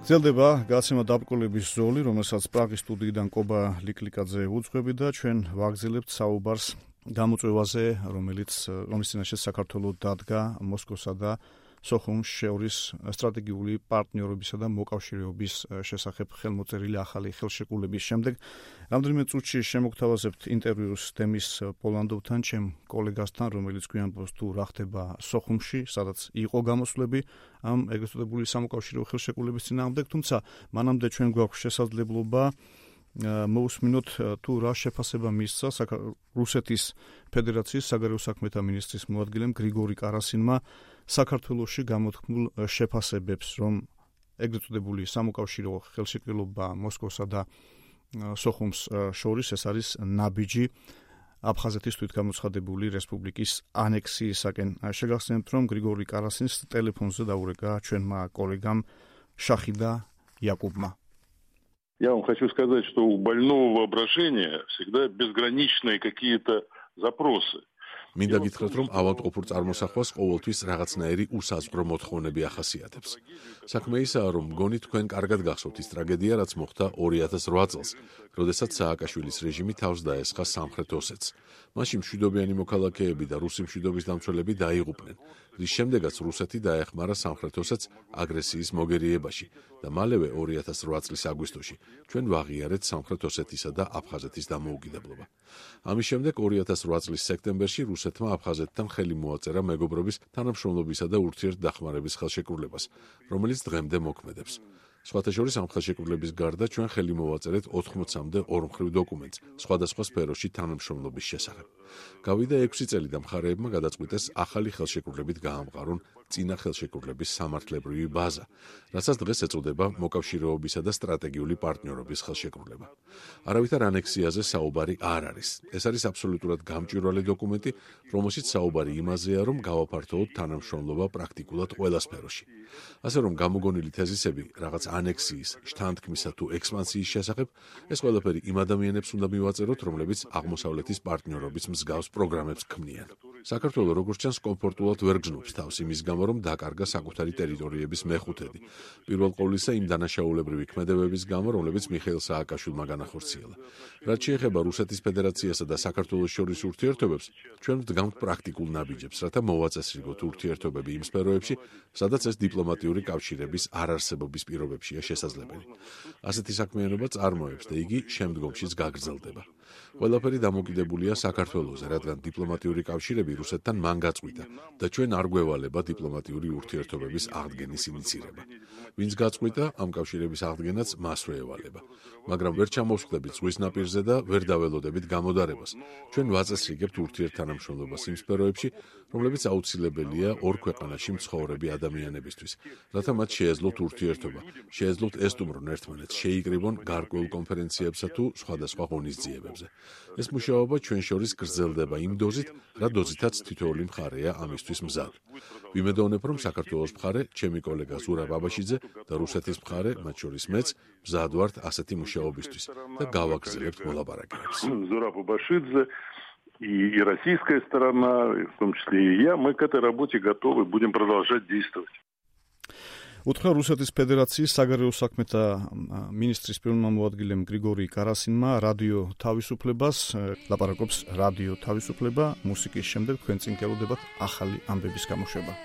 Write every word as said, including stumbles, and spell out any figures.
გრძელდება გაცემა დაბრკოლების ზოლი, რომელსაც პრაღის სტუდიიდან კობა ლიკლიკაძე უძღვებდა და ჩვენ ვაგრძელებთ საუბარს გამოწვევაზე, რომელიც რომლის წინაშე საქართველოს დადგა მოსკოვსა და სოხუმს შორის სტრატეგიული პარტნიორობისა და მოკავშირეობის შესახებ ხელმოწერილი ახალი ხელშეკრულების შემდეგ. Რამდენიმე წუთში შემოგთავაზებთ ინტერვიუს თემის პოლანდოვთან, ჩემ კოლეგასთან, რომელიც გვიანბოს თუ რა ხდება სოხუმში, სადაც იყო გამოსვლები ამ ეგრეთ წოდებული სამოკავშირეო ხელშეკრულების წინააღმდეგ, თუმცა მანამდე ჩვენ გვაქვს შესაძლებლობა მოусმინოთ თუ რა შეფასება მისცა რუსეთის ფედერაციის საგარეო საქმეთა მინისტრის მოადგილემ გრიგორი კარასინმა საქართველოში გამოთქმულ შეფასებებს, რომ ეგრეთ წოდებული სამოკავშირეო ხელშეკრულება მოსკოვსა და სოხუმს შორის ეს არის ნაბიჯი აფხაზეთის თვითგამოცხადებული რესპუბლიკის ანექსიისაკენ. შეგახსენებთ, რომ გრიგორი კარასინს ტელეფონზე დაურეკა ჩვენმა კოლეგამ შახიდა იაკუბმა. Я вам хочу сказать, что у больного воображения всегда безграничные какие-то запросы. მინდა გითხრათ, რომ ავადმყოფურ წარმოსახვას ყოველთვის რაღაცნაირი უსაზღვრო მოთხოვნები ახასიათებს. საქმე ისაა, რომ მგონი თქვენ კარგად გახსოვთ ის ტრაგედია, რაც მოხდა ორი ათას რვა წელს, როდესაც სააკაშვილის რეჟიმი თავს დაესხა სამხრეთ ოსეთს. მაშინ მშვიდობიანი მოქალაქეები და რუსი მშვიდობის დამცველები დაიღუპნენ, რის შემდეგაც რუსეთი დაეხმარა სამხრეთ ოსეთს აგრესიის მოგერიებაში და მალევე ორი ათას რვა წლის აგვისტოში ჩვენ ვაღიარეთ სამხრეთ ოსეთისა და აფხაზეთის დამოუკიდებლობა. ამის შემდეგ ორი ათას რვა წლის სექტემბერში რუსეთმა აფხაზეთთან ხელი მოაწერა მეგობრობის, თანამშრომლობისა და ურთიერთდახმარების ხელშეკრულებას, რომელიც დღემდე მოქმედებს. სხვათა შორის ამ ხელშეკრულების გარდა ჩვენ ხელი მოვაწერეთ ოთხმოცამდე ორმხრივ დოკუმენტს სხვადასხვა სფეროში თანამშრომლობის შესახებ. გავიდა ექვსი წელი და მხარეებმა გადაწყვიტეს ახალი ხელშეკრულებით გაამყარონ წინა ხელშეკრულების სამართლებრივი ბაზა, რასაც დღეს ეწოდება მოკავშირეობისა და სტრატეგიული პარტნიორობის ხელშეკრულება. არავითარ ანექსიაზე საუბარი არ არის. ეს არის აბსოლუტურად გამჭვირვალე დოკუმენტი, რომელშიც საუბარი იმაზეა, რომ გავაფართოვოთ თანამშრომლობა პრაქტიკულად ყველა სფეროში. ასე რომ გამოგონილი თეზისები რაღაც ანექსიის, შთანთქმისა თუ ექსპანსიის შესახებ, ეს ყველაფერი იმ ადამიანებს უნდა მივაწეროთ, რომლებიც აღმოსავლეთის პარტნიორობის მსგავს პროგრამებს ქმნიან. საქართველო როგორც ჩანს კომფორტულად ვერ გრძნობს თავს იმის გამო, რომ დაკარგა საკუთარი ტერიტორიების მეხუთედი. პირველ ყოვლისა იმ დანაშაულებრივი ქმედებების გამო, რომლებიც მიხეილ სააკაშვილმა განახორციელა. რაც შეეხება რუსეთის ფედერაციასა და საქართველოს შორის ურთიერთობებს, ჩვენ ვდგამთ პრაქტიკულ ნაბიჯებს, რათა მოვაწესრიგოთ ურთიერთობები იმ სფეროებში, სადაც ეს დიპლომატიური კავშირების არარსებობის პირობებშია შესაძლებელი. ასეთი საქმიანობა წარმოებს და იგი შემდგომშიც გაგრძელდება. ყველაფერი დამოკიდებულია საქართველოზე, რადგან დიპლომატიური კავშირები რუსეთთან მან გაწყვიტა და ჩვენ არ გვევალება დიპლომატიური ურთიერთობების აღდგენის ინიცირება. ვინც გაწყვიტა, ამ კავშირების აღდგენაც მასვე ევალება. მაგრამ ვერ ჩამოვსხდებით ზღვის ნაპირზე და ვერ დაველოდებით გამოდარებას. ჩვენ ვაწესრიგებთ ურთიერთთანამშრომლობას იმ სფეროებში, რომლებიც აუცილებელია ორ ქვეყანაში მცხოვრები ადამიანებისთვის, რათა მათ შეეძლოთ ურთიერთობა, შეეძლოთ ესტუმრონ ერთმანეთს, შეიკრიბონ გარკვეულ კონფერენციებსა თუ სხვადასხვა ღონისძიებებზე. ეს მუშაობა ჩვენ შორის გრძელდება იმ დოზით, რა დოზითაც თითოეული მხარეა ამისთვის მზად. ვიმედოვნებ, რომ საქართველოს მხარე, ჩემი კოლეგა ზურაბ აბაშიძე და русეთის მხარე, მათ შორის მეც, მზად ვართ ასეთი მუშაობისთვის და გავაგრძელებთ მოლაპარაკებებს. Зураб Абашидзе и российская сторона, в том числе и я, мы к этой работе готовы, будем продолжать действовать. უთხრა რუსეთის ფედერაციის საგარეო საქმეთა მინისტრის პირველმა მოადგილემ გრიგორი კარასინმა რადიო თავისუფლებას, ლაპარაკობს რადიო თავისუფლება, მუსიკის შემდეგ თქვენ წინ გელოდებათ ახალი ამბების გამოშვება.